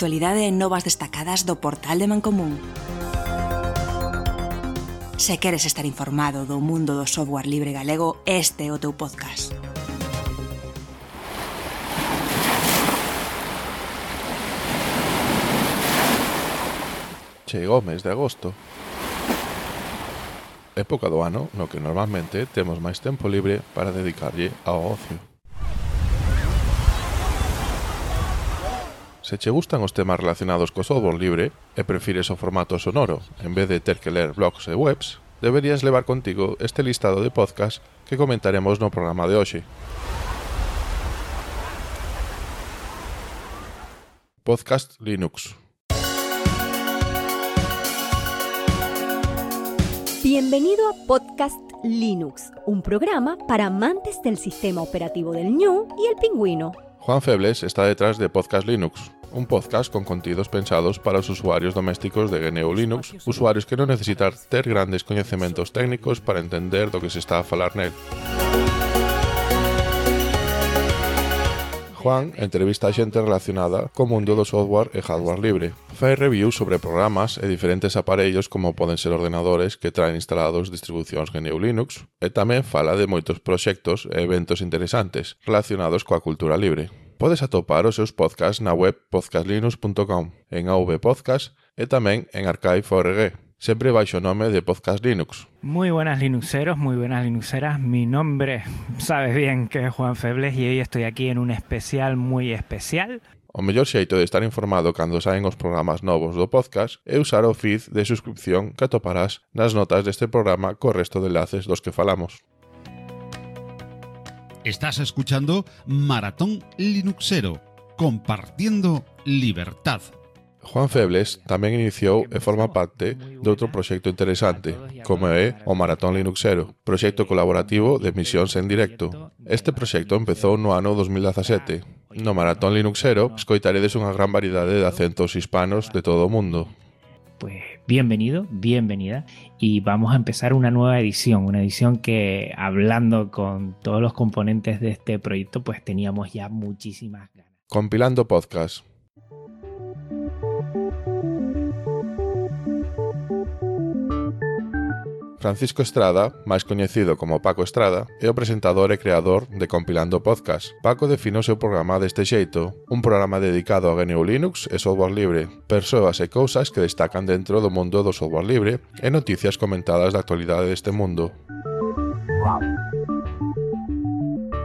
actualidade e novas destacadas do portal de Mancomún. Se queres estar informado do mundo do software libre galego, este é o teu podcast. Chegou o mes de agosto, época do ano no que normalmente temos máis tempo libre para dedicarlle ao ocio. Se che gustan os temas relacionados co software libre e prefires o formato sonoro en vez de ter que ler blogs e webs, deberías levar contigo este listado de podcast que comentaremos no programa de hoxe. Podcast Linux. Bienvenido a Podcast Linux, un programa para amantes del sistema operativo del Ñu y el Pingüino. Juan Febles está detrás de Podcast Linux, un podcast con contidos pensados para os usuarios domésticos de GNU Linux, usuarios que non necesitan ter grandes coñecementos técnicos para entender do que se está a falar nel. Juan entrevista a xente relacionada co mundo do software e hardware libre. Fai reviews sobre programas e diferentes aparellos como poden ser ordenadores que traen instalados distribucións GNU Linux e tamén fala de moitos proxectos e eventos interesantes relacionados coa cultura libre. Podes atopar os seus podcasts na web podcastlinux.com, en AV Podcast e tamén en Archive.org, sempre baixo o nome de Podcast Linux. Muy buenas Linuxeros, muy buenas Linuxeras. Mi nombre, sabes bien que es Juan Febles y hoy estoy aquí en un especial muy especial. O mellor xeito de estar informado cando saen os programas novos do podcast é usar o feed de suscripción que atoparás nas notas deste programa co resto de enlaces dos que falamos. Estás escuchando Maratón Linuxero, compartiendo libertad. Juan Febles tamén iniciou e forma parte de outro proxecto interesante, como é o Maratón Linuxero, proxecto colaborativo de emisións en directo. Este proxecto empezou no ano 2017. No Maratón Linuxero escoitaredes unha gran variedade de acentos hispanos de todo o mundo. Pues bienvenido, bienvenida, y vamos a empezar una nueva edición, que hablando con todos los componentes de este proyecto, pues teníamos ya muchísimas ganas. Compilando podcast. Francisco Estrada, máis coñecido como Paco Estrada, é o presentador e creador de Compilando Podcast. Paco define o seu programa deste xeito, un programa dedicado a GNU Linux e software libre, persoas e cousas que destacan dentro do mundo do software libre e noticias comentadas da actualidade deste mundo.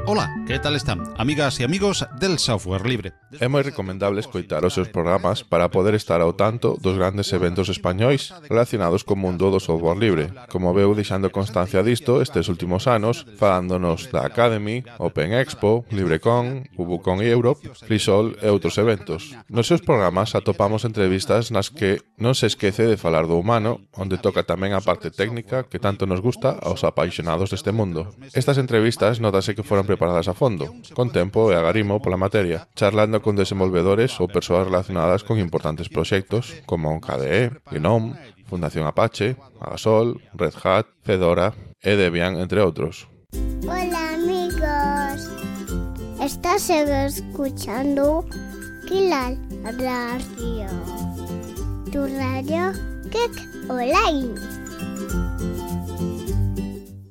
Hola, ¿qué tal están? Amigas y amigos del software libre. É moi recomendable escoitar os seus programas para poder estar ao tanto dos grandes eventos españois relacionados co mundo do software libre. Como veu deixando constancia disto estes últimos anos, falándonos da Academy, Open Expo, LibreCon, UbuCon Europe, FreeSol e outros eventos. Nos seus programas atopamos entrevistas nas que non se esquece de falar do humano, onde toca tamén a parte técnica que tanto nos gusta aos apaixonados deste mundo. Estas entrevistas notase que foron preparadas a fondo, con tempo e agarimo pola materia, charlando con desenvolvedores ou persoas relacionadas con importantes proxectos como KDE, GNOME, Fundación Apache, Agasol, Red Hat, Fedora e Debian, entre outros. Hola amigos, estás escuchando Kilal Radio, tu radio Geek Online.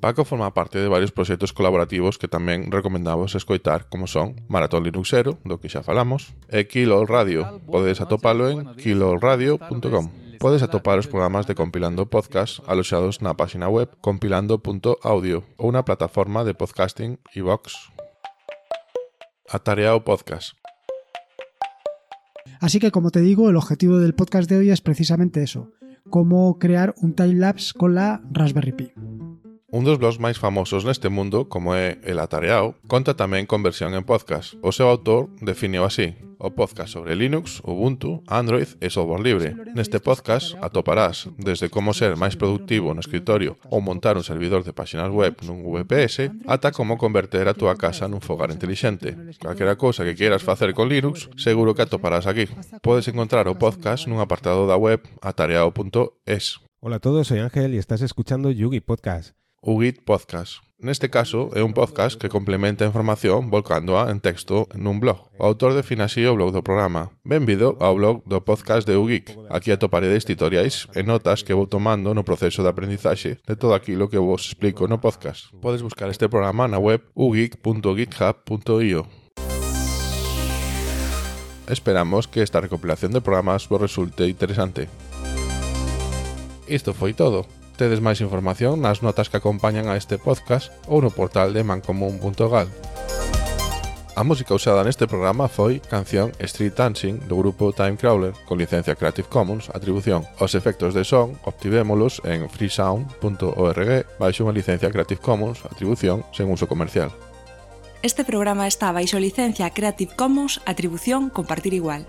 Paco forma parte de varios proxectos colaborativos que tamén recomendamos escoitar, como son Maratón Linuxero, do que xa falamos, e Kilol Radio. Podes atopalo en kilolradio.com. Podes atopar os programas de Compilando Podcast aloxados na página web compilando.audio ou na plataforma de podcasting iVoox. Atareao Podcast. Así que, como te digo, el objetivo del podcast de hoy es precisamente eso, cómo crear un timelapse con la Raspberry Pi. Un dos blogs máis famosos neste mundo, como é El Atareao, conta tamén con versión en podcast. O seu autor definiu así: o podcast sobre Linux, Ubuntu, Android e software libre. Neste podcast atoparás desde como ser máis productivo no escritorio ou montar un servidor de páxinas web nun VPS ata como converter a túa casa nun fogar intelixente. Calquera cousa que queiras facer con Linux, seguro que atoparás aquí. Podes encontrar o podcast nun apartado da web atareao.es. Hola a todos, soy Ángel y estás escuchando Yugi Podcast. UGIT Podcast. Neste caso, é un podcast que complementa a información volcándoa en texto nun blog. O autor define así o blog do programa. Benvido ao blog do podcast de UGeek. Aquí atoparedes tutoriais e notas que vou tomando no proceso de aprendizaxe de todo aquilo que vos explico no podcast. Podes buscar este programa na web ugeek.github.io. Esperamos que esta recopilación de programas vos resulte interesante. Isto foi todo. Tedes máis información nas notas que acompañan a este podcast ou no portal de mancomun.gal. A música usada neste programa foi canción Street Dancing do grupo Time Crawler con licencia Creative Commons Atribución. Os efectos de son obtivémolos en freesound.org baixo unha licencia Creative Commons Atribución sen uso comercial. Este programa está baixo licencia Creative Commons Atribución Compartir Igual.